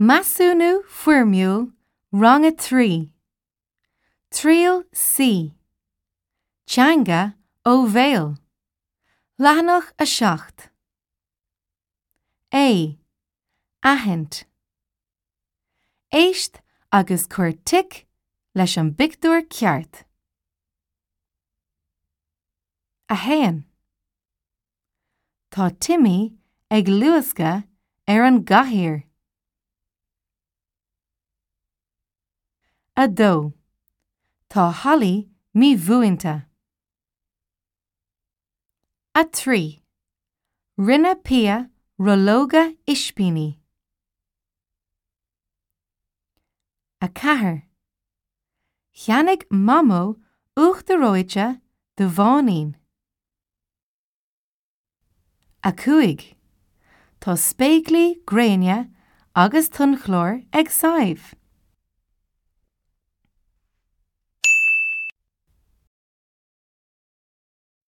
Measúnú Foirmiúil Rang 3, Triail C, Teanga ó Bhéal, Leathanach 7. A. Aithint. Éist agus cuir tic leis an bpictiúr ceart. 1. Tá Timmy ag luascadh ar an gcathaoir. 2. Tá Holly mímhúinte. 3. Rinne Pia rollóga ispíní. 4. Cheannaigh Mamó uachtar reoite do Mháinín. 5. Tá spéaclaí gréine agus tonnchlár ag Sadhbh.